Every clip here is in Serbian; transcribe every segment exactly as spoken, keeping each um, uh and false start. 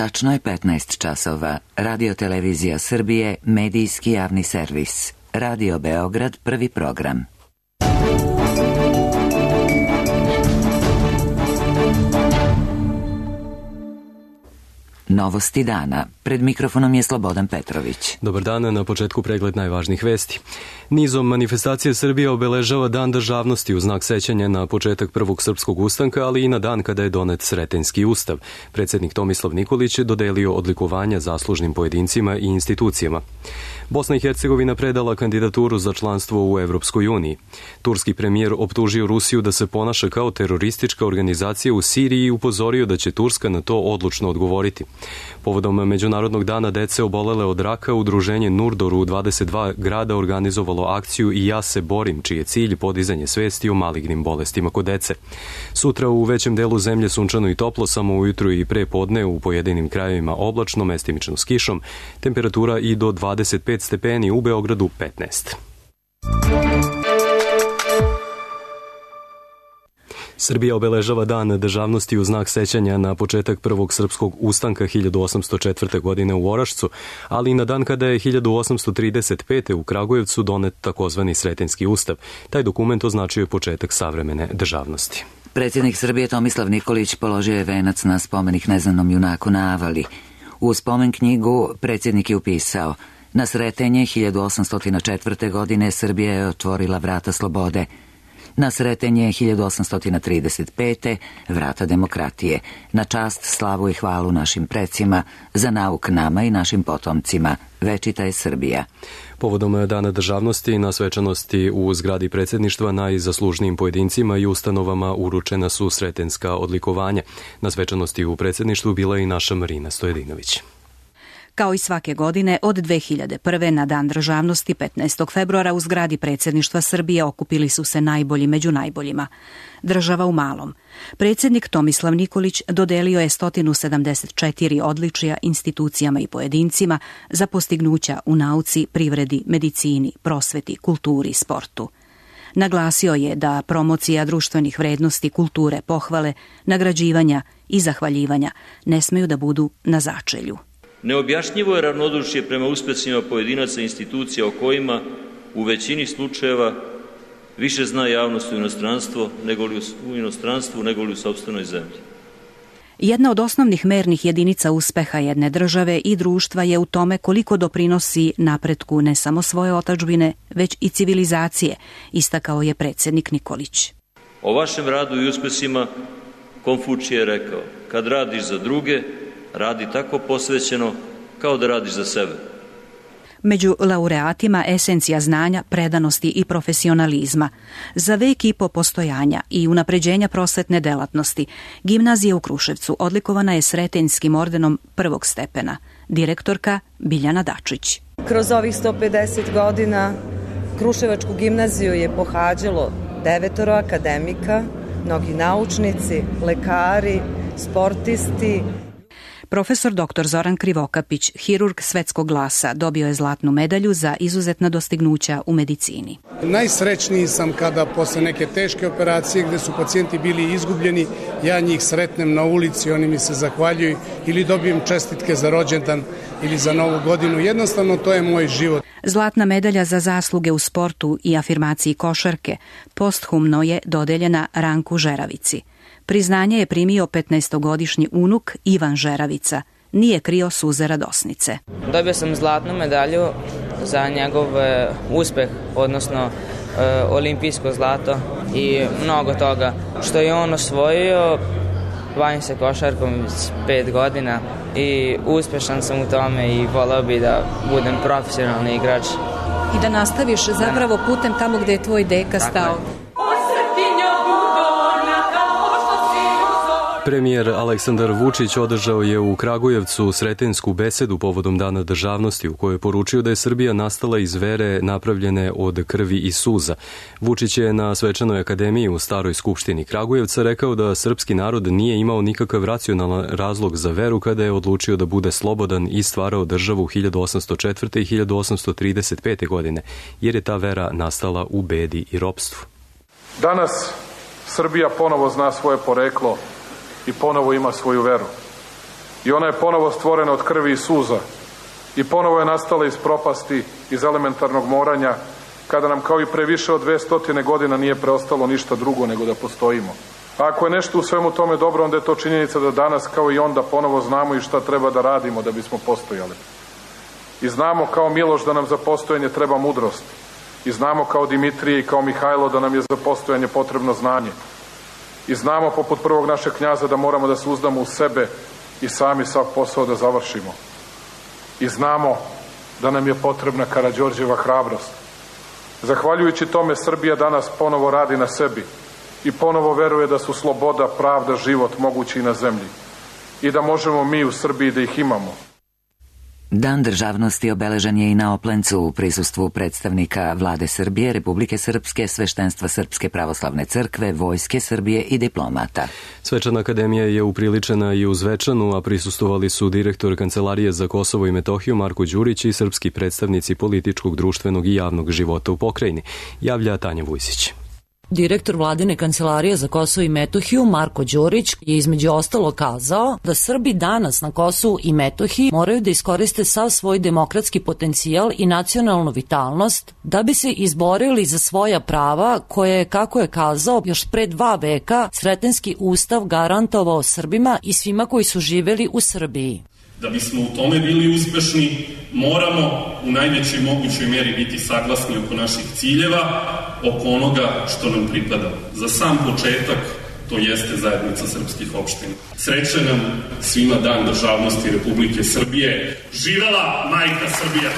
Tačno je petnaest časova. Radio Televizija Srbije, medijski javni servis. Radio Beograd, prvi program. Novosti dana. Pred mikrofonom je Slobodan Petrović. Dobar dan, na početku pregled najvažnijih vesti. Nizom manifestacije Srbija obeležava Dan državnosti u znak sećanja na početak prvog srpskog ustanka, ali i na dan kada je donet Sretenjski ustav. Predsjednik Tomislav Nikolić je dodelio odlikovanja zaslužnim pojedincima i institucijama. Bosna i Hercegovina predala kandidaturu za članstvo u Evropskoj uniji. Turski premijer optužio Rusiju da se ponaša kao teroristička organizacija u Siriji i upozorio da će Turska na to odlučno odgovoriti. Povodom Međunarodnog dana dece obolele od raka, udruženje Nurdor u dvadeset dva grada organizovalo akciju I ja se borim, čiji je cilj podizanje svesti o malignim bolestima kod dece. Sutra u većem delu zemlje sunčano i toplo, samo ujutru i pre podne u pojedinim krajevima oblačno, mestimično s kišom, temperatura i do dvadeset pet stepeni, u Beogradu petnaest. Srbija obeležava Dan državnosti u znak sećanja na početak prvog srpskog ustanka hiljadu osamsto četvrte. godine u Orašcu, ali i na dan kada je hiljadu osamsto trideset pete. u Kragujevcu donet takozvani Sretenjski ustav. Taj dokument označio je početak savremene državnosti. Predsjednik Srbije Tomislav Nikolić položio je venac na spomenik neznanom junaku na Avali. U spomen knjigu predsjednik je upisao: na Sretenje hiljadu osamsto četvrte. godine Srbija je otvorila vrata slobode. Na Sretenje hiljadu osamsto trideset pete. vrata demokratije. Na čast, slavu i hvalu našim precima, za nauk nama i našim potomcima. Večita je Srbija. Povodom Dana državnosti na svečanosti u zgradi predsjedništva najzaslužnijim pojedincima i ustanovama uručena su sretenjska odlikovanja. Na svečanosti u predsjedništvu bila je i naša Marina Stojedinović. Kao i svake godine, od dve hiljade prve. na Dan državnosti petnaestog februara u zgradi predsjedništva Srbije okupili su se najbolji među najboljima. Država u malom. Predsjednik Tomislav Nikolić dodelio je sto sedamdeset četiri odličija institucijama i pojedincima za postignuća u nauci, privredi, medicini, prosveti, kulturi i sportu. Naglasio je da promocija društvenih vrednosti, kulture, pohvale, nagrađivanja i zahvaljivanja ne smeju da budu na začelju. Neobjašnjivo je ravnodušje prema uspesima pojedinaca i institucija o kojima u većini slučajeva više zna javnost u inostranstvu nego li u inostranstvu nego li u sopstvenoj zemlji. Jedna od osnovnih mernih jedinica uspeha jedne države i društva je u tome koliko doprinosi napretku ne samo svoje otadžbine, već i civilizacije, istakao je predsjednik Nikolić. O vašem radu i uspesima Konfučije je rekao: kad radiš za druge, radi tako posvećeno kao da radiš za sebe. Među laureatima esencija znanja, predanosti i profesionalizma. Za vek i po postojanja i unapređenja prosvetne delatnosti, gimnazija u Kruševcu odlikovana je Sretenjskim ordenom prvog stepena. Direktorka Biljana Dačić. Kroz ovih sto pedeset godina Kruševačku gimnaziju je pohađalo devetoro akademika, mnogi naučnici, lekari, sportisti. Profesor doktor Zoran Krivokapić, hirurg svetskog glasa, dobio je zlatnu medalju za izuzetna dostignuća u medicini. Najsrećniji sam kada posle neke teške operacije gde su pacijenti bili izgubljeni, ja njih sretnem na ulici, oni mi se zahvaljuju ili dobijem čestitke za rođendan ili za novu godinu. Jednostavno to je moj život. Zlatna medalja za zasluge u sportu i afirmaciji košarke posthumno je dodeljena Ranku Žeravici. Priznanje je primio petnaestogodišnji unuk Ivan Žeravica. Nije krio suze radosnice. Dobio sam zlatnu medalju za njegov uspeh, odnosno e, olimpijsko zlato i mnogo toga što je on osvojio. Bavim se košarkom pet godina i uspešan sam u tome i voleo bi da budem profesionalni igrač. I da nastaviš zapravo putem tamo gde je tvoj deka stao. Premijer Aleksandar Vučić održao je u Kragujevcu sretenjsku besedu povodom Dana državnosti u kojoj je poručio da je Srbija nastala iz vere napravljene od krvi i suza. Vučić je na svečanoj akademiji u Staroj skupštini Kragujevca rekao da srpski narod nije imao nikakav racionalan razlog za veru kada je odlučio da bude slobodan i stvarao državu hiljadu osamsto četvrte. i hiljadu osamsto trideset pete. godine, jer je ta vera nastala u bedi i ropstvu. Danas Srbija ponovo zna svoje poreklo i ponovo ima svoju veru. I ona je ponovo stvorena od krvi i suza. I ponovo je nastala iz propasti, iz elementarnog moranja, kada nam kao i pre više od dve stotine godina nije preostalo ništa drugo nego da postojimo. A ako je nešto u svemu tome dobro, onda je to činjenica da danas kao i onda ponovo znamo i šta treba da radimo da bismo postojali. I znamo kao Miloš da nam za postojanje treba mudrost. I znamo kao Dimitrije i kao Mihajlo da nam je za postojanje potrebno znanje. I znamo poput prvog našeg knjaza da moramo da se uzdamo u sebe i sami sav posao da završimo. I znamo da nam je potrebna Karađorđeva hrabrost. Zahvaljujući tome Srbija danas ponovo radi na sebi i ponovo veruje da su sloboda, pravda, život mogući i na zemlji i da možemo mi u Srbiji da ih imamo. Dan državnosti obeležen je i na Oplencu u prisustvu predstavnika Vlade Srbije, Republike Srpske, Sveštenstva Srpske pravoslavne crkve, Vojske Srbije i diplomata. Svečana akademija je upriličena i u Zvečanu, a prisustvovali su direktor Kancelarije za Kosovo i Metohiju Marko Đurić i srpski predstavnici političkog, društvenog i javnog života u pokrajini, javlja Tanja Vujsić. Direktor Vladine kancelarije za Kosovo i Metohiju Marko Đurić je između ostalo kazao da Srbi danas na Kosovu i Metohiji moraju da iskoriste sav svoj demokratski potencijal i nacionalnu vitalnost da bi se izborili za svoja prava koje je, kako je kazao, još pre dva veka Sretenski ustav garantovao Srbima i svima koji su živeli u Srbiji. Da bismo u tome bili uspešni, moramo u najvećoj mogućoj meri biti saglasni oko naših ciljeva, oko onoga što nam pripada. Za sam početak to jeste zajednica srpskih opština. Srećan nam svima Dan državnosti Republike Srbije. Živela majka Srbija!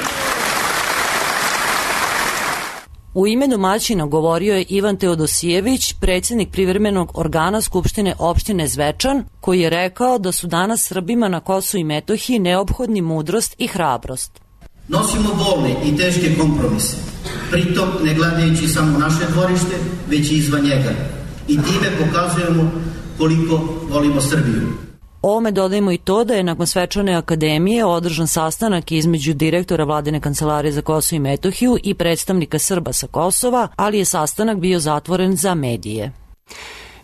U ime domaćina govorio je Ivan Teodosijević, predsjednik privremenog organa Skupštine opštine Zvečan, koji je rekao da su danas Srbima na Kosovu i Metohiji neophodni mudrost i hrabrost. Nosimo bolne i teške kompromise, pritom ne gledajući samo naše dvorište, već i izvan njega. I time pokazujemo koliko volimo Srbiju. Ovome dodajemo i to da je nakon svečane akademije održan sastanak između direktora Vladine kancelarije za Kosovo i Metohiju i predstavnika Srba sa Kosova, ali je sastanak bio zatvoren za medije.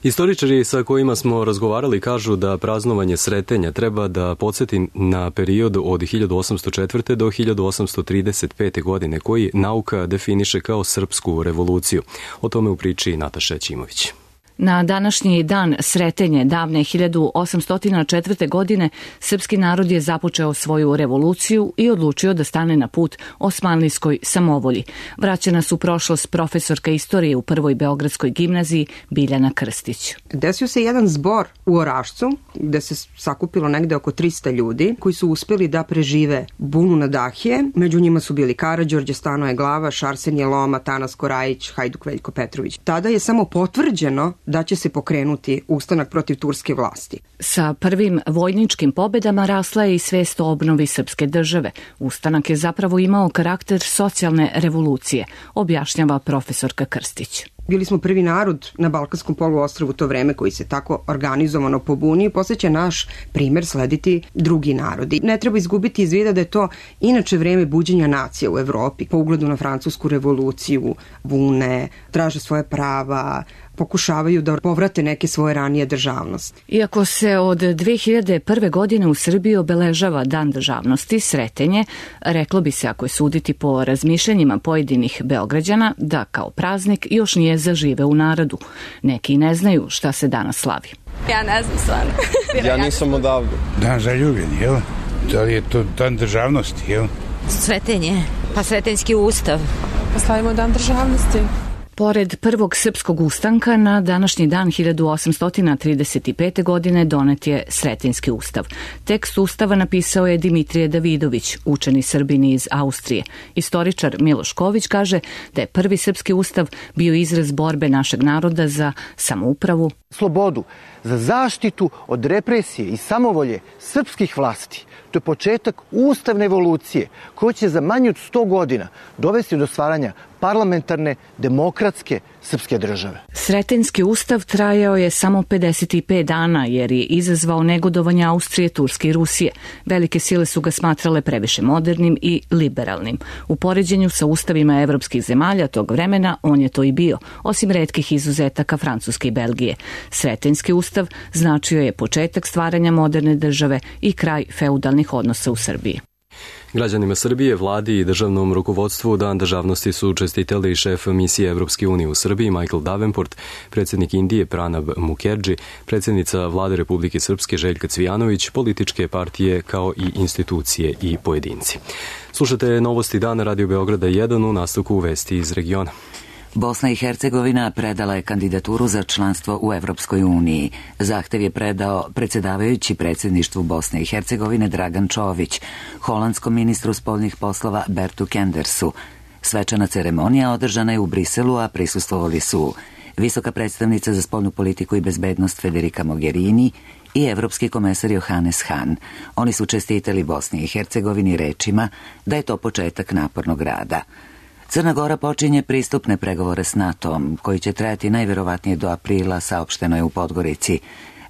Istoričari sa kojima smo razgovarali kažu da praznovanje Sretenja treba da podsjeti na period od hiljadu osamsto četvrte. do hiljadu osamsto trideset pete. godine koji nauka definiše kao srpsku revoluciju. O tome u priči Nataša Ćimović. Na današnji dan Sretenje davne hiljadu osamsto četvrte. godine srpski narod je započeo svoju revoluciju i odlučio da stane na put osmanlijskoj samovolji. Vraća nas u prošlost profesorka istorije u Prvoj beogradskoj gimnaziji Biljana Krstić. Desio se jedan zbor u Orašcu gde se sakupilo negde oko trista ljudi koji su uspeli da prežive bunu na Dahije. Među njima su bili Karađorđe, Stanoje Glavaš, Arsenije Loma, Tanas Korajić, Hajduk Veljko Petrović. Tada je samo potvrđeno da će se pokrenuti ustanak protiv turske vlasti. Sa prvim vojničkim pobedama rasla je i svest o obnovi srpske države. Ustanak je zapravo imao karakter socijalne revolucije, objašnjava profesorka Krstić. Bili smo prvi narod na Balkanskom poluostrvu u to vreme koji se tako organizovano pobuni i posle će naš primer slediti drugi narodi. Ne treba izgubiti iz vida da je to inače vreme buđenja nacija u Evropi. Po ugledu na francusku revoluciju, bune, traže svoje prava, pokušavaju da povrate neke svoje ranije državnosti. Iako se od dve hiljade prve. godine u Srbiji obeležava Dan državnosti, Sretenje, reklo bi se, ako je suditi po razmišljanjima pojedinih Beograđana, da kao praznik još nije zažive u narodu. Neki ne znaju šta se danas slavi. Ja ne znam stvarno. Ja nisam odavde. Dan zaljubljeni, jel? Da li je to Dan državnosti, jel? Sretenje, pa Sretenjski ustav. Pa slavimo Dan državnosti. Pored prvog srpskog ustanka, na današnji dan hiljadu osamsto trideset pete. godine donet je Sretenjski ustav. Tekst ustava napisao je Dimitrije Davidović, učeni Srbin iz Austrije. Istoričar Miloš Ković kaže da je prvi srpski ustav bio izraz borbe našeg naroda za samoupravu, slobodu, za zaštitu od represije i samovolje srpskih vlasti, To je početak ustavne evolucije koja će za manje od sto godina dovesti do stvaranja parlamentarne, demokratske srpske države. Sretenski ustav trajao je samo pedeset pet dana jer je izazvao negodovanje Austrije, Turske i Rusije. Velike sile su ga smatrale previše modernim i liberalnim. U poređenju sa ustavima evropskih zemalja tog vremena on je to i bio, osim retkih izuzetaka Francuske i Belgije. Sretenski ustav značio je početak stvaranja moderne države i kraj feudalnih odnosa u Srbiji. Građanima Srbije, vladi i državnom rukovodstvu Dan državnosti su čestitali šef misije Evropske unije u Srbiji Michael Davenport, predsjednik Indije Pranab Mukherjee, predsjednica vlade Republike Srpske Željka Cvijanović, političke partije kao i institucije i pojedinci. Slušate Novosti dana Radio Beograda jedan u nastavku vesti iz regiona. Bosna i Hercegovina predala je kandidaturu za članstvo u Evropskoj uniji. Zahtev je predao predsjedavajući predsjedništvu Bosne i Hercegovine Dragan Čović, holandskom ministru spoljnih poslova Bertu Kendersu. Svečana ceremonija održana je u Briselu, a prisustvovali su visoka predstavnica za spoljnu politiku i bezbednost Federica Mogherini i evropski komesar Johannes Hahn. Oni su čestitali Bosni i Hercegovini rečima da je to početak napornog rada. Crna Gora počinje pristupne pregovore s NATO-om, koji će trajati najverovatnije do aprila, saopšteno je u Podgorici.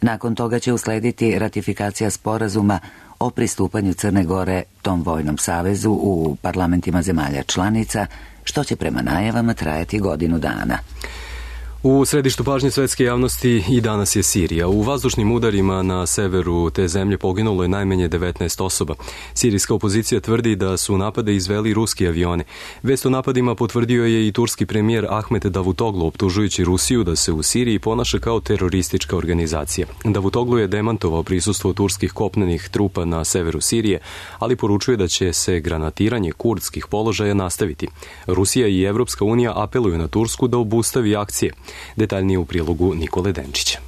Nakon toga će uslediti ratifikacija sporazuma o pristupanju Crne Gore tom vojnom savezu u parlamentima zemalja članica, što će prema najavama trajati godinu dana. U središtu pažnje svetske javnosti i danas je Sirija. U vazdušnim udarima na severu te zemlje poginulo je najmanje devetnaest osoba. Sirijska opozicija tvrdi da su napade izveli ruski avioni. Vest o napadima potvrdio je i turski premijer Ahmet Davutoglu, optužujući Rusiju da se u Siriji ponaša kao teroristička organizacija. Davutoglu je demantovao prisustvo turskih kopnenih trupa na severu Sirije, ali poručuje da će se granatiranje kurdskih položaja nastaviti. Rusija i Evropska unija apeluju na Tursku da obustavi akcije. Detaljnije u prilogu Nikole Denčića.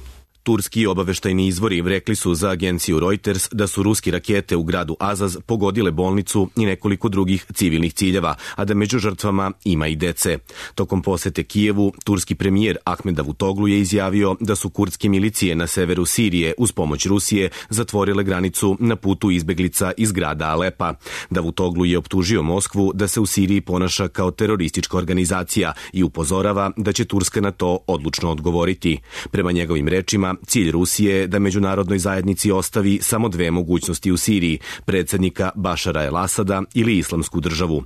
Turski obaveštajni izvori rekli su za agenciju Reuters da su ruski rakete u gradu Azaz pogodile bolnicu i nekoliko drugih civilnih ciljeva, a da među žrtvama ima i dece. Tokom posete Kijevu, turski premijer Ahmed Davutoglu je izjavio da su kurdske milicije na severu Sirije uz pomoć Rusije zatvorile granicu na putu izbeglica iz grada Alepa. Davutoglu je optužio Moskvu da se u Siriji ponaša kao teroristička organizacija i upozorava da će Turska na to odlučno odgovoriti. Prema njegovim rečima, cilj Rusije je da međunarodnoj zajednici ostavi samo dve mogućnosti u Siriji, predsjednika Bašara el-Asada ili islamsku državu.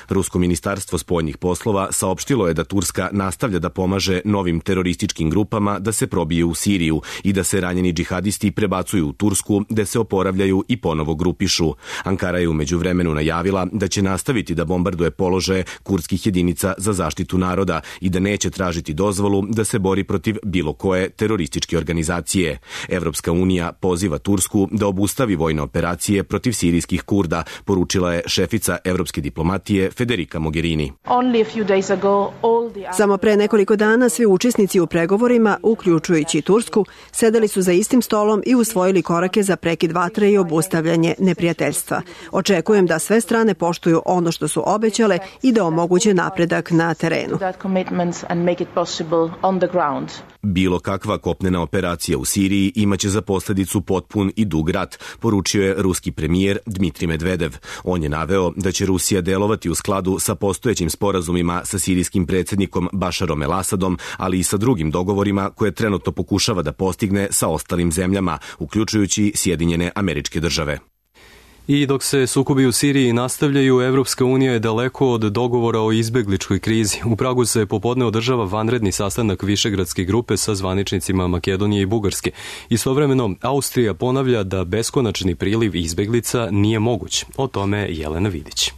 Rusko ministarstvo spoljnih poslova saopštilo je da Turska nastavlja da pomaže novim terorističkim grupama da se probiju u Siriju i da se ranjeni džihadisti prebacuju u Tursku, gde se oporavljaju i ponovo grupišu. Ankara je u međuvremenu najavila da će nastaviti da bombarduje položaje kurdskih jedinica za zaštitu naroda i da neće tražiti dozvolu da se bori protiv bilo koje terorističke organizacije. Evropska unija poziva Tursku da obustavi vojne operacije protiv sirijskih Kurda, poručila je šefica evropske diplomatije Federica Mogherini. Samo pre nekoliko dana svi učesnici u pregovorima, uključujući Tursku, sedeli su za istim stolom i usvojili korake za prekid vatre i obustavljanje neprijateljstva. Očekujem da sve strane poštuju ono što su obećale i da omoguće napredak na terenu. Bilo kakva kopnena operacija u Siriji imaće za posljedicu potpun i dug rat, poručio je ruski premijer Dmitrij Medvedev. On je naveo da će Rusija delovati u skladu sa postojećim sporazumima sa sirijskim predsjednikom Bašarom el-Asadom, ali i sa drugim dogovorima koje trenutno pokušava da postigne sa ostalim zemljama, uključujući Sjedinjene Američke Države. I dok se sukobi u Siriji nastavljaju, Evropska unija je daleko od dogovora o izbegličkoj krizi. U Pragu se popodne održava vanredni sastanak Višegradske grupe sa zvaničnicima Makedonije i Bugarske. Istovremeno, Austrija ponavlja da beskonačni priliv izbeglica nije moguć. O tome Jelena Vidić.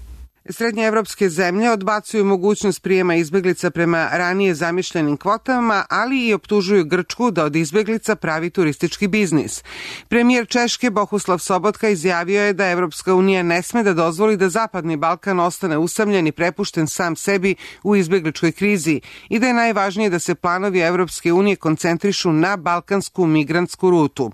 Srednje evropske zemlje odbacuju mogućnost prijema izbeglica prema ranije zamišljenim kvotama, ali i optužuju Grčku da od izbeglica pravi turistički biznis. Premijer Češke Bohuslav Sobotka izjavio je da Evropska unija ne sme da dozvoli da Zapadni Balkan ostane usamljen i prepušten sam sebi u izbegličkoj krizi i da je najvažnije da se planovi Evropske unije koncentrišu na balkansku migrantsku rutu.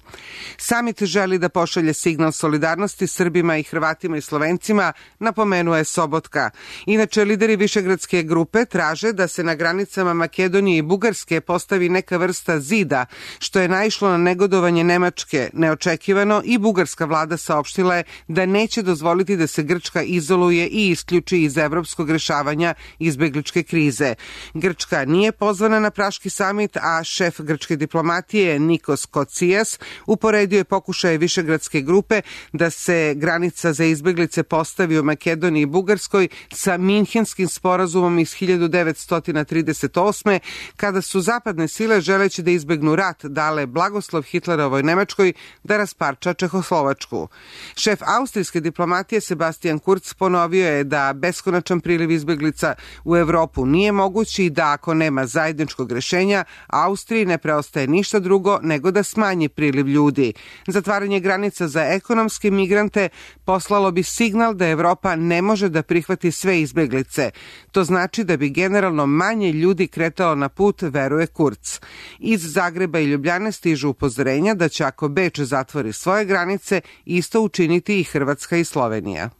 Samit želi da pošalje signal solidarnosti Srbima i Hrvatima i Slovencima, napomenuo je Sobotka Sobotka. Inače, lideri Višegradske grupe traže da se na granicama Makedonije i Bugarske postavi neka vrsta zida, što je naišlo na negodovanje Nemačke. Neočekivano i bugarska vlada saopštila je da neće dozvoliti da se Grčka izoluje i isključi iz evropskog rešavanja izbegličke krize. Grčka nije pozvana na Praški samit, a šef grčke diplomatije Nikos Kocijas uporedio je pokušaje Višegradske grupe da se granica za izbeglice postavi u Makedoniji i Bugarskoj sa Minhenskim sporazumom iz hiljadu devetsto trideset osme. kada su zapadne sile želeći da izbegnu rat dale blagoslov Hitlerovoj Nemačkoj da rasparča Čehoslovačku. Šef austrijske diplomatije Sebastian Kurz ponovio je da beskonačan priliv izbeglica u Evropu nije mogući i da ako nema zajedničkog rešenja, Austriji ne preostaje ništa drugo nego da smanji priliv ljudi. Zatvaranje granica za ekonomske migrante poslalo bi signal da Evropa ne može da prihvati sve izbeglice. To znači da bi generalno manje ljudi kretalo na put, veruje Kurz. Iz Zagreba i Ljubljane stižu upozorenja da će ako Beč zatvori svoje granice, isto učiniti i Hrvatska i Slovenija.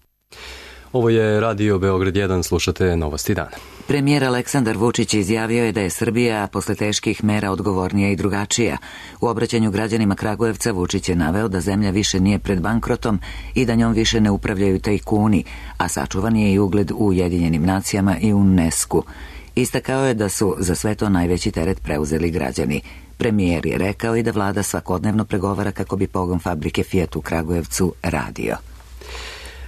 Ovo je Radio Beograd jedan, slušate Novosti dana. Premijer Aleksandar Vučić izjavio je da je Srbija posle teških mera odgovornija i drugačija. U obraćanju građanima Kragujevca Vučić je naveo da zemlja više nije pred bankrotom i da njom više ne upravljaju tajkuni, a sačuvan je i ugled u Ujedinjenim nacijama i u UNESCO. Istakao je da su za sve to najveći teret preuzeli građani. Premijer je rekao i da vlada svakodnevno pregovara kako bi pogon fabrike Fiat u Kragujevcu radio.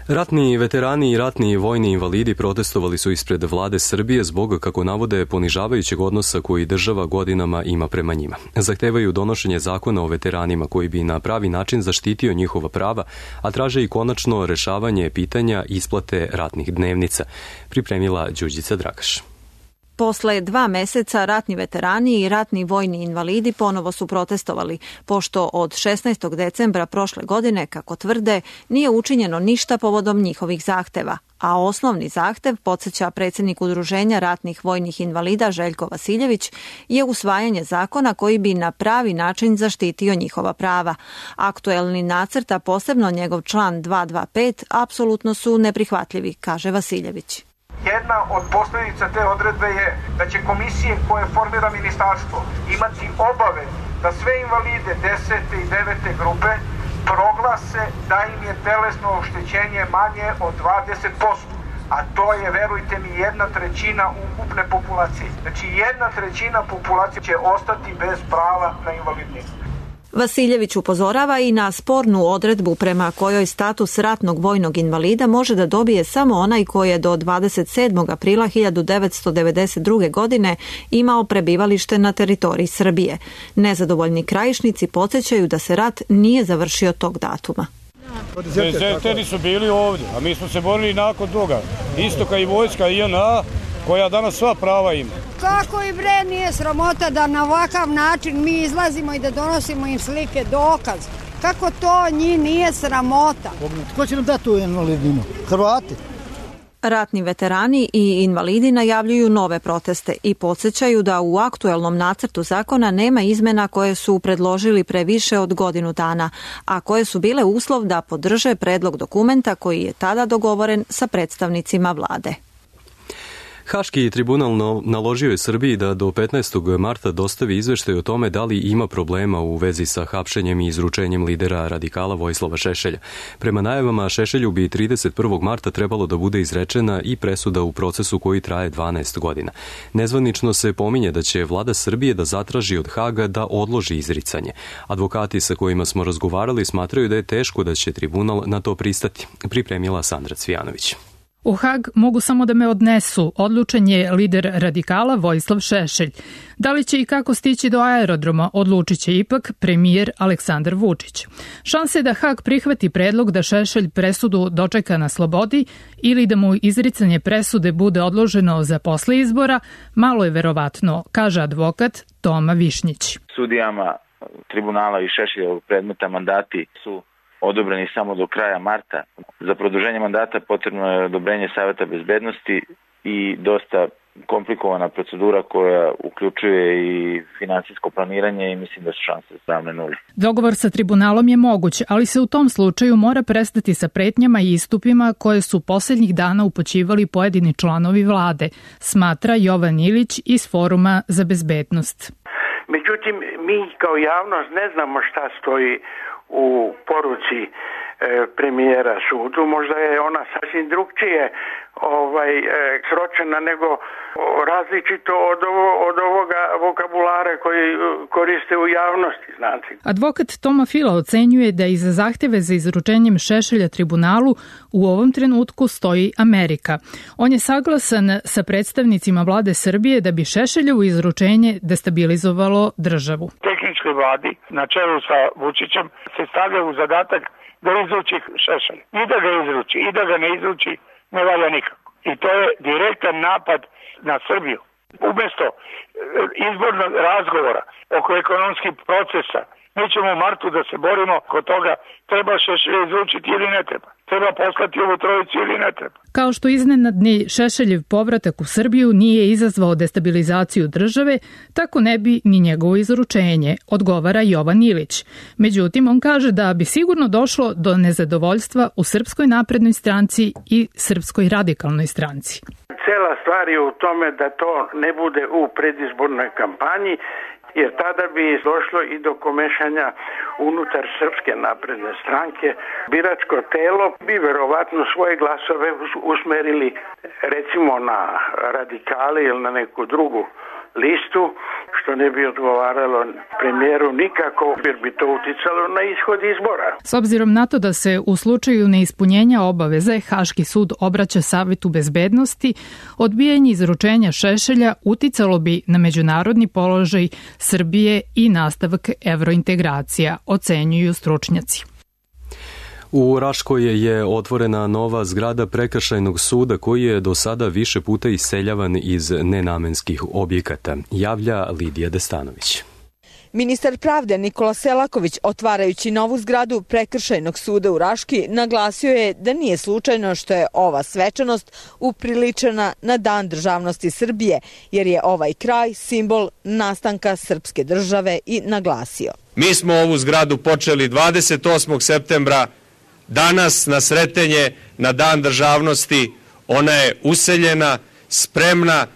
Ratni veterani i ratni vojni invalidi protestovali su ispred vlade Srbije zbog, kako navode, ponižavajućeg odnosa koji država godinama ima prema njima. Zahtevaju donošenje zakona o veteranima koji bi na pravi način zaštitio njihova prava, a traže i konačno rešavanje pitanja isplate ratnih dnevnica, pripremila Đurđica Dragaš. Posle dva meseca ratni veterani i ratni vojni invalidi ponovo su protestovali, pošto od šesnaestog decembra prošle godine, kako tvrde, nije učinjeno ništa povodom njihovih zahteva, a osnovni zahtev, podsjeća predsjednik Udruženja ratnih vojnih invalida Željko Vasiljević, je usvajanje zakona koji bi na pravi način zaštitio njihova prava. Aktuelni nacrt, a posebno njegov član dvesta dvadeset pet, apsolutno su neprihvatljivi, kaže Vasiljević. Jedna od posljedica te odredbe je da će komisije koje formira ministarstvo imati obavez da sve invalide desete i devete grupe proglase da im je telesno oštećenje manje od dvadeset posto. A to je, verujte mi, jedna trećina ukupne populacije. Znači jedna trećina populacije će ostati bez prava na invalidninu. Vasiljević upozorava i na spornu odredbu prema kojoj status ratnog vojnog invalida može da dobije samo onaj koji je do dvadeset sedmog aprila hiljadu devetsto devedeset druge. godine imao prebivalište na teritoriji Srbije. Nezadovoljni Krajišnici podsjećaju da se rat nije završio tog datuma. Dezerteri su bili ovdje, a mi smo se borili nakon toga. Isto kao i vojska I N A, koja danas sva prava ima. Kako i bre nije sramota da na ovakav način mi izlazimo i da donosimo im slike, dokaz. Kako to njih nije sramota? Ko će nam dati tu invalidninu? Hrvati? Ratni veterani i invalidi najavljuju nove proteste i podsjećaju da u aktuelnom nacrtu zakona nema izmena koje su predložili pre više od godinu dana, a koje su bile uslov da podrže predlog dokumenta koji je tada dogovoren sa predstavnicima vlade. Haški tribunal naložio je Srbiji da do petnaestog marta dostavi izveštaj o tome da li ima problema u vezi sa hapšenjem i izručenjem lidera radikala Vojislava Šešelja. Prema najavama, Šešelju bi trideset prvog marta trebalo da bude izrečena i presuda u procesu koji traje dvanaest godina. Nezvanično se pominje da će vlada Srbije da zatraži od Haga da odloži izricanje. Advokati sa kojima smo razgovarali smatraju da je teško da će tribunal na to pristati, pripremila Sandra Cvijanović. U Hag mogu samo da me odnesu, odlučen je lider radikala Vojislav Šešelj. Da li će i kako stići do aerodroma, odlučit će ipak premijer Aleksandar Vučić. Šanse da Hag prihvati predlog da Šešelj presudu dočeka na slobodi ili da mu izricanje presude bude odloženo za posle izbora, malo je verovatno, kaže advokat Toma Višnjić. Sudijama tribunala i Šešeljevog predmeta mandati su odobreni samo do kraja marta. Za produženje mandata potrebno je odobrenje Saveta bezbednosti i dosta komplikovana procedura koja uključuje i finansijsko planiranje i mislim da su šanse ravne nuli. Dogovor sa tribunalom je moguć, ali se u tom slučaju mora prestati sa pretnjama i istupima koje su posljednjih dana upućivali pojedini članovi vlade, smatra Jovan Ilić iz Foruma za bezbednost. Međutim, mi kao javnost ne znamo šta stoji u poruci e, premijera sudu. Možda je ona sasvim drugčije ovaj, e, sročena nego različito od, ovo, od ovoga vokabulara koji koriste u javnosti, znate. Advokat Toma Fila ocenjuje da iza zahteve za izručenjem Šešelja tribunalu u ovom trenutku stoji Amerika. On je saglasan sa predstavnicima vlade Srbije da bi Šešeljevo izručenje destabilizovalo državu. Tehničkoj vladi na čelu sa Vučićem se stavlja u zadatak da izruči Šešelj. I da ga izruči, i da ga ne izruči, ne valja nikako. I to je direktan napad na Srbiju. Umesto izbornog razgovora oko ekonomskih procesa, mi ćemo u martu da se borimo kod toga treba Šešelj izručiti ili ne treba. Treba poslati ovu trojicu ili ne treba. Kao što iznenadni Šešeljev povratak u Srbiju nije izazvao destabilizaciju države, tako ne bi ni njegovo izručenje, odgovara Jovan Ilić. Međutim, on kaže da bi sigurno došlo do nezadovoljstva u Srpskoj naprednoj stranci i Srpskoj radikalnoj stranci. Cela stvar je u tome da to ne bude u predizbornoj kampanji, jer tada bi došlo i do komešanja unutar Srpske napredne stranke. Biračko telo bi verovatno svoje glasove usmerili recimo na radikale ili na neku drugu listu, što ne bi odgovaralo premijeru nikako, jer bi to uticalo na ishod izbora. S obzirom na to da se u slučaju neispunjenja obaveze Haški sud obraća Savetu bezbednosti, odbijanje izručenja Šešelja uticalo bi na međunarodni položaj Srbije i nastavak evrointegracija, ocenjuju stručnjaci. U Raškoj je otvorena nova zgrada prekršajnog suda koji je do sada više puta iseljavan iz nenamenskih objekata, javlja Lidija Destanović. Ministar pravde Nikola Selaković, otvarajući novu zgradu prekršajnog suda u Raški, naglasio je da nije slučajno što je ova svečanost upriličena na Dan državnosti Srbije, jer je ovaj kraj simbol nastanka srpske države i naglasio. Mi smo ovu zgradu počeli dvadeset osmog septembra. Danas na Sretenje, na Dan državnosti, ona je useljena, spremna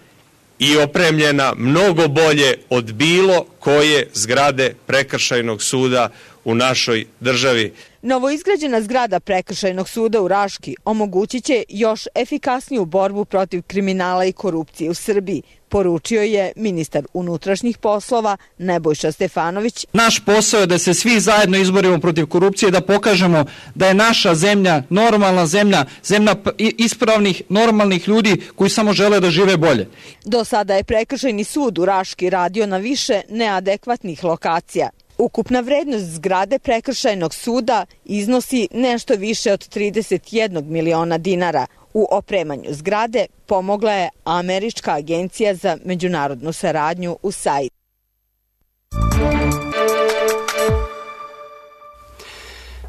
i opremljena mnogo bolje od bilo koje zgrade prekršajnog suda u našoj državi. Novoizgrađena zgrada prekršajnog suda u Raški omogućit će još efikasniju borbu protiv kriminala i korupcije u Srbiji, poručio je ministar unutrašnjih poslova Nebojša Stefanović. Naš posao je da se svi zajedno izborimo protiv korupcije, da pokažemo da je naša zemlja normalna zemlja, zemlja ispravnih, normalnih ljudi koji samo žele da žive bolje. Do sada je prekršajni sud u Raški radio na više neadekvatnih lokacija. Ukupna vrednost zgrade prekršajnog suda iznosi nešto više od trideset jedan miliona dinara. U opremanju zgrade pomogla je Američka agencija za međunarodnu saradnju U S A I D.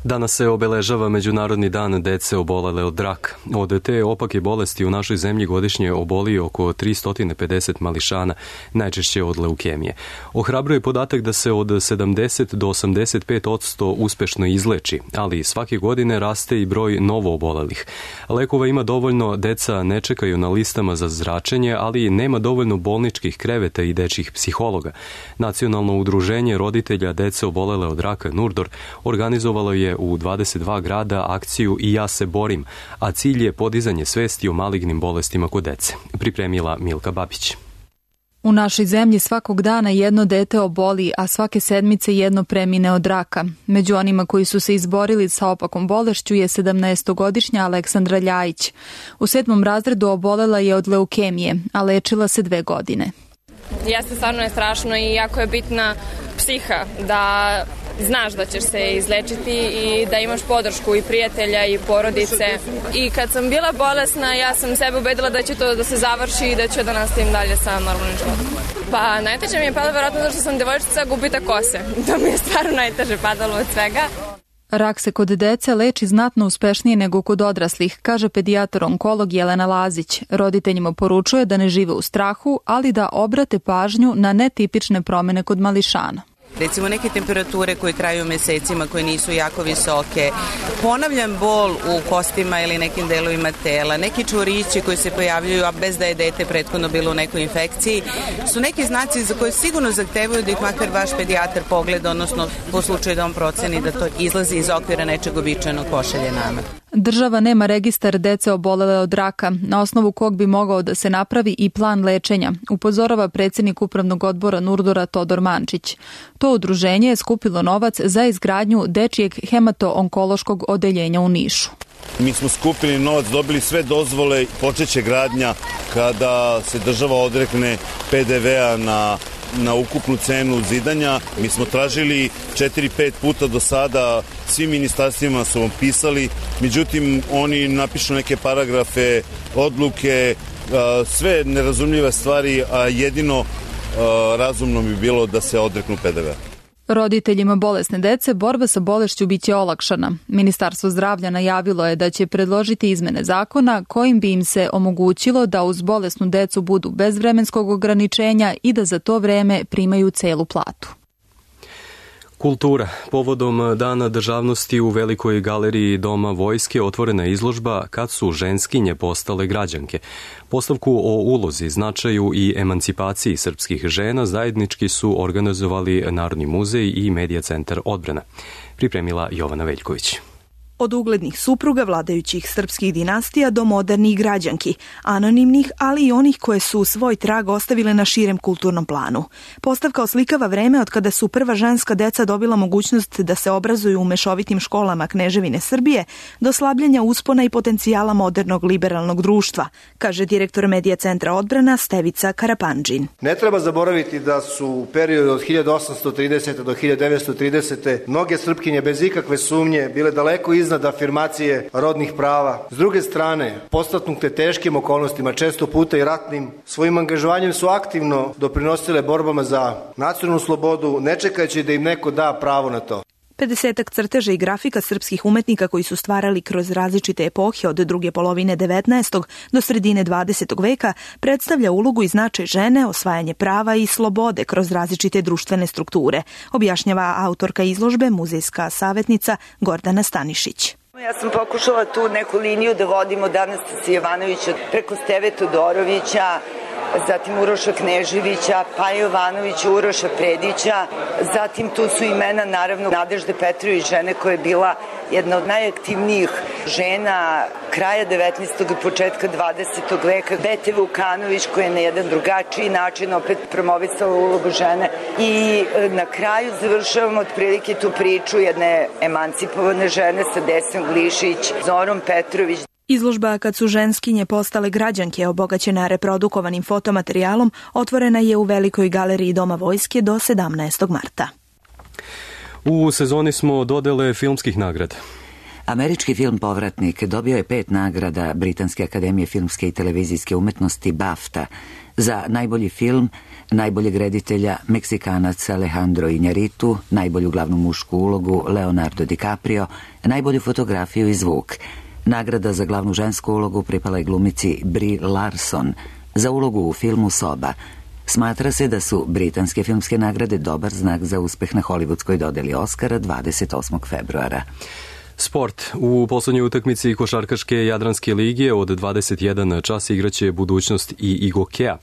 Danas se obeležava Međunarodni dan dece obolele od raka. Od te opake bolesti u našoj zemlji godišnje oboli oko tristo pedeset mališana, najčešće od leukemije. Ohrabruje podatak da se od sedamdeset do osamdeset pet posto uspešno izleči, ali svake godine raste i broj novo obolelih. Lekova ima dovoljno, deca ne čekaju na listama za zračenje, ali nema dovoljno bolničkih kreveta i dečjih psihologa. Nacionalno udruženje roditelja dece obolele od raka Nurdor organizovalo je u dvadeset dva grada akciju I ja se borim, a cilj je podizanje svesti o malignim bolestima kod dece, pripremila Milka Babić. U našoj zemlji svakog dana jedno dete oboli, a svake sedmice jedno premine od raka. Među onima koji su se izborili sa opakom bolešću je sedamnaestogodišnja Aleksandra Ljajić. U sedmom razredu obolela je od leukemije, a lečila se dve godine. Jeste, stvarno je strašno i jako je bitna psiha da znaš da ćeš se izlečiti i da imaš podršku i prijatelja i porodice. I kad sam bila bolesna, ja sam sebe ubedila da će to da se završi i da ću da nastavim dalje sa normalnim životom. Pa najteže mi je padalo verovatno zato što sam devojčica, gubitak kose. To mi je stvarno najteže padalo od svega. Rak se kod dece leči znatno uspešnije nego kod odraslih, kaže pedijatar onkolog Jelena Lazić. Roditeljima poručuje da ne žive u strahu, ali da obrate pažnju na netipične promene kod mališana. Recimo neke temperature koje traju mesecima, koje nisu jako visoke, ponavljam bol u kostima ili nekim delovima tela, neki čvorići koji se pojavljuju, a bez da je dete prethodno bilo u nekoj infekciji, su neki znaci za koje sigurno zahtevaju da ih makar vaš pedijatar pogleda, odnosno po slučaju da on proceni da to izlazi iz okvira nečeg običajnog, pošalje nama. Država nema registar dece obolele od raka, na osnovu kog bi mogao da se napravi i plan lečenja, upozorava predsjednik upravnog odbora Nurdora Todor Mančić. To udruženje je skupilo novac za izgradnju dečijeg hemato-onkološkog odeljenja u Nišu. Mi smo skupili novac, dobili sve dozvole, počeće gradnja kada se država odrekne pe de vea na na ukupnu cenu zidanja. Mi smo tražili četiri pet puta do sada, svim ministarstvima su vam pisali, međutim oni napišu neke paragrafe, odluke, sve nerazumljive stvari, a jedino razumno bi bilo da se odreknu pe de vea. Roditeljima bolesne dece borba sa bolešću biće olakšana. Ministarstvo zdravlja najavilo je da će predložiti izmene zakona kojim bi im se omogućilo da uz bolesnu decu budu bez vremenskog ograničenja i da za to vreme primaju celu platu. Kultura. Povodom Dana državnosti u Velikoj galeriji Doma vojske otvorena je izložba Kad su ženskinje postale građanke. Postavku o ulozi, značaju i emancipaciji srpskih žena zajednički su organizovali Narodni muzej i Medija centar Odbrana. Pripremila Jovana Veljković. Od uglednih supruga vladajućih srpskih dinastija do modernih građanki, anonimnih, ali i onih koje su svoj trag ostavile na širem kulturnom planu. Postavka oslikava vreme od kada su prva ženska deca dobila mogućnost da se obrazuju u mešovitim školama Kneževine Srbije, do slabljenja uspona i potencijala modernog liberalnog društva, kaže direktor Medija centra Odbrana Stevica Karapandžin. Ne treba zaboraviti da su u periodu od hiljadu osamsto tridesete do hiljadu devetsto tridesete mnoge Srpkinje bez ikakve sumnje bile daleko iznad afirmacije rodnih prava. S druge strane, podstaknute teškim okolnostima, često puta i ratnim, svojim angažovanjem su aktivno doprinosile borbama za nacionalnu slobodu, ne čekajući da im neko da pravo na to. pedesetak crteža i grafika srpskih umetnika koji su stvarali kroz različite epohe od druge polovine devetnaestog do sredine dvadesetog veka predstavlja ulogu i značaj žene, osvajanje prava i slobode kroz različite društvene strukture, objašnjava autorka izložbe, muzejska savjetnica Gordana Stanišić. Ja sam pokušala tu neku liniju da vodim od Anastasije Jovanovića preko Steve Todorovića, zatim Uroša Kneževića, Paja Jovanovića, Uroša Predića, zatim tu su imena naravno Nadežde Petrović, žene koja je bila jedna od najaktivnijih žena kraja devetnaestog i početka dvadesetog veka, Bete Vukanović koja je na jedan drugačiji način opet promovisala ulogu žene i na kraju završavamo otprilike tu priču jedne emancipovane žene sa Desnom Glišić, Zorom Petrović. Izložba Kad su ženskinje postale građanke, obogaćena reprodukovanim fotomaterijalom, otvorena je u Velikoj galeriji Doma vojske do sedamnaestog marta. U sezoni smo dodele filmskih nagrada. Američki film Povratnik dobio je pet nagrada Britanske akademije filmske i televizijske umetnosti BAFTA. Za najbolji film, najboljeg reditelja Meksikanac Alejandro Iñárritu, najbolju glavnu mušku ulogu Leonardo DiCaprio, najbolju fotografiju i zvuk. Nagrada za glavnu žensku ulogu pripala je glumici Brie Larson za ulogu u filmu Soba. Smatra se da su britanske filmske nagrade dobar znak za uspeh na hollywoodskoj dodeli Oscara dvadeset osmog februara. Sport. U poslednjoj utakmici košarkaške Jadranske lige od dvadeset jedan čas igraće Budućnost i Igokea.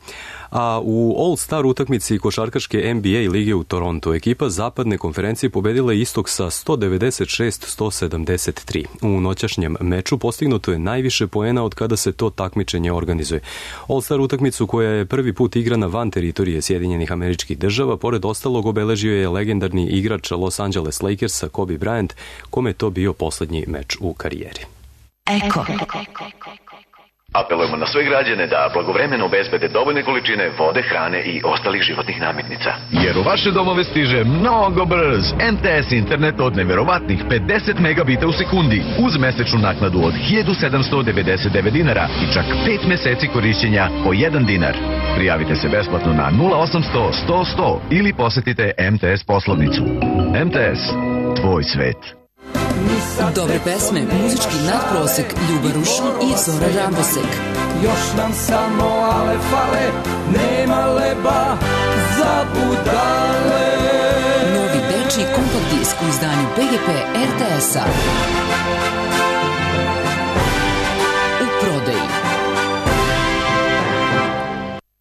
A u All-Star utakmici košarkaške N B A lige u Toronto ekipa zapadne konferencije pobedila Istok sa sto devedeset šest sto sedamdeset tri. U noćašnjem meču postignuto je najviše poena od kada se to takmičenje organizuje. All-Star utakmicu koja je prvi put igrana van teritorije Sjedinjenih Američkih Država, pored ostalog obeležio je legendarni igrač Los Angeles Lakersa Kobe Bryant, kome je to bio poslednji meč u karijeri. Eko. Apelujemo na sve građane da blagovremeno obezbede dovoljne količine vode, hrane i ostalih životnih namirnica. Jer u vaše domove stiže mnogo brz M T S internet od neverovatnih pedeset megabita u sekundi uz mesečnu naknadu od hiljadu sedamsto devedeset devet dinara i čak pet meseci korišćenja po jedan dinar. Prijavite se besplatno na nula osamsto sto sto ili posetite M T S poslovnicu. M T S, tvoj svet. Dobre pesme, muzički nadprosek, Ljuba Rušin i Zora Rambosek. Još nam samo ale fale, nema leba za budale. Novi dečiji kompakt disk u izdanju B G P R T S-a. U prodaji.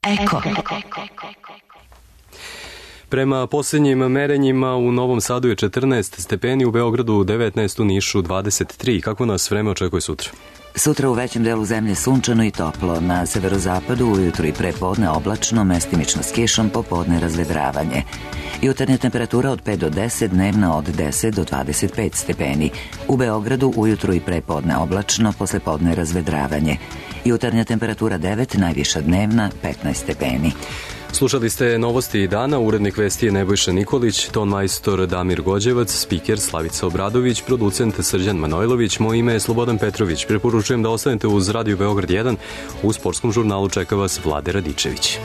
Eko. Prema posljednjim merenjima u Novom Sadu je četrnaest stepeni, u Beogradu devetnaest, u Nišu dvadeset tri. Kako nas vreme očekuje sutra? Sutra u većem delu zemlje sunčano i toplo. Na severozapadu ujutru i prepodne oblačno, mestimično s kišom, popodne razvedravanje. Jutarnja temperatura od pet do deset, dnevna od deset do dvadeset pet stepeni. U Beogradu ujutru i prepodne oblačno, poslepodne razvedravanje. Jutarnja temperatura devet, najviša dnevna petnaest stepeni. Slušali ste novosti dana, urednik vesti je Nebojša Nikolić, ton majstor Damir Gođevac, spiker Slavica Obradović, producent Srđan Manojlović, moje ime je Slobodan Petrović. Preporučujem da ostanete uz Radio Beograd jedan, u sportskom žurnalu čeka vas Vlade Radičević.